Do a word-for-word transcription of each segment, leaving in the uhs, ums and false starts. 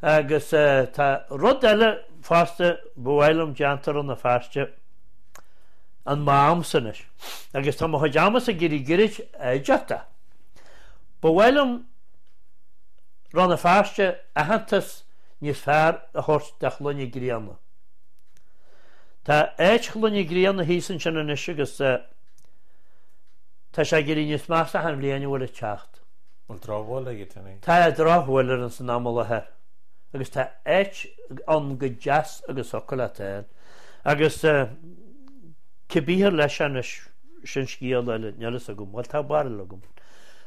Agus tá rud eile fosta ba mhaith liom déanta i Rann na Feirste, an m'amsa anois. Agus tá mo chuid amasa ag éirí gairid oideachta. Ba mhaith liom Rann na Feirste aitheantas níos fearr a thabhairt do Chloich na Grianna. Tá áit Chloich na Grianna thíos ansin anois agus tá sé ag éirí níos measa achan bhliain a bhfuil ag teacht. Bhfuil drochbhail aige, Tony? Tá drochbhail air san am i láthair agus tá áit ann go deas agus thiocfadh leat a fháil. Agus cibé ar leis anois sin scéal eile, níl fhios agam, bhuel tá barúil agam.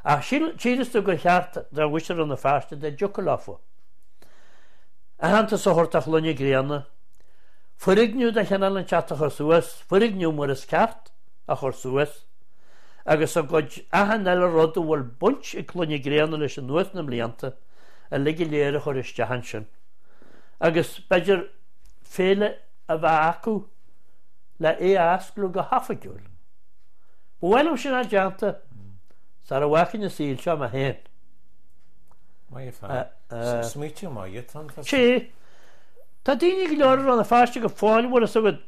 Ach síleas tú gur cheart do mhuintir Rann na Feirste dá dtiocfadh leofa aitheantas a thabhairt do Chloich na Grianna, foirgneamh de chineál inteacht a chur suas, foirgneamh mar is ceart a chur suas, agus a gcuid achan eile rud a bhfuil baint ag Cloich na Grianna leis anuas na mblianta uilig go léir a chur isteach ansin. Agus b'fhéidir féile a bheith acu le é a osclú go hoifigiúil. Ba mhaith liom sin a déanta sara bhfágfainn an saol seo mé féin. Maith an fear. Smaoitiú maith atá ann. Sea. Tá daoine go leor i Rann na Feirste go fóill bhfuil fhios agat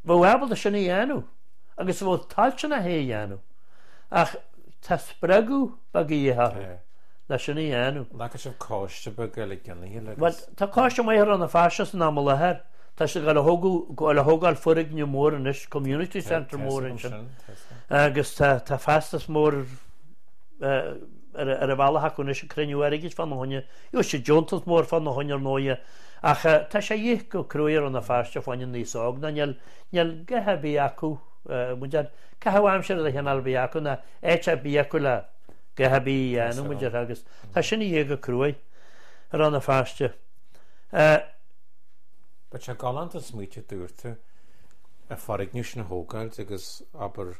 bheadh ábalta sin a dhéanamh agus a bheadh toilteanach é a dhéanamh ach tá spreagadh beag a dhíth orthu le sin a dhéanamh. An bhfaca sibh coiste beag eile cionnaithe le Bhuel, tá coiste maith i Rann na Feirste san am i láthair. Tá siad ag dul a thógáil foirgneamh mór anois, community centre mór ansin agus tá feachtas mór ar an bhealach acu anois ag cruinniú airgid fána choinne. Gheobhaidh siad deontas mór fána choinne ar ndóighe ach tá sé a dhíth go cruaidh i Rann na Feirste fá choinne na n-aos óg ná níl níl guth ar bith acu muid ar caitheamh aimsire de chineál ar bith acu ná áit ar bith acu le guth ar bith a dhéanamh muid ar agus tá sin a dhíth go cruaidh i Rann na Feirste. But sé galánta smaoitiú dúirt tú an foirgneamh sin a thógáilt agus abair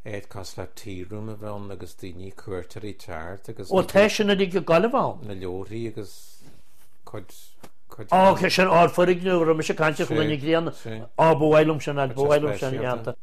áit cosúil le tea room a bheith ann agus daoine cuairteoirí teacht agus Ó tá sin uilig ag gabháil a bheith ann. na leabharthaí agus cuid cuid Ó sin ár foirgneamh a raibh mise ag caint ar Chloich na Grianna. Á ba mhaith liom sin ba mhaith liom sin a dhéanta.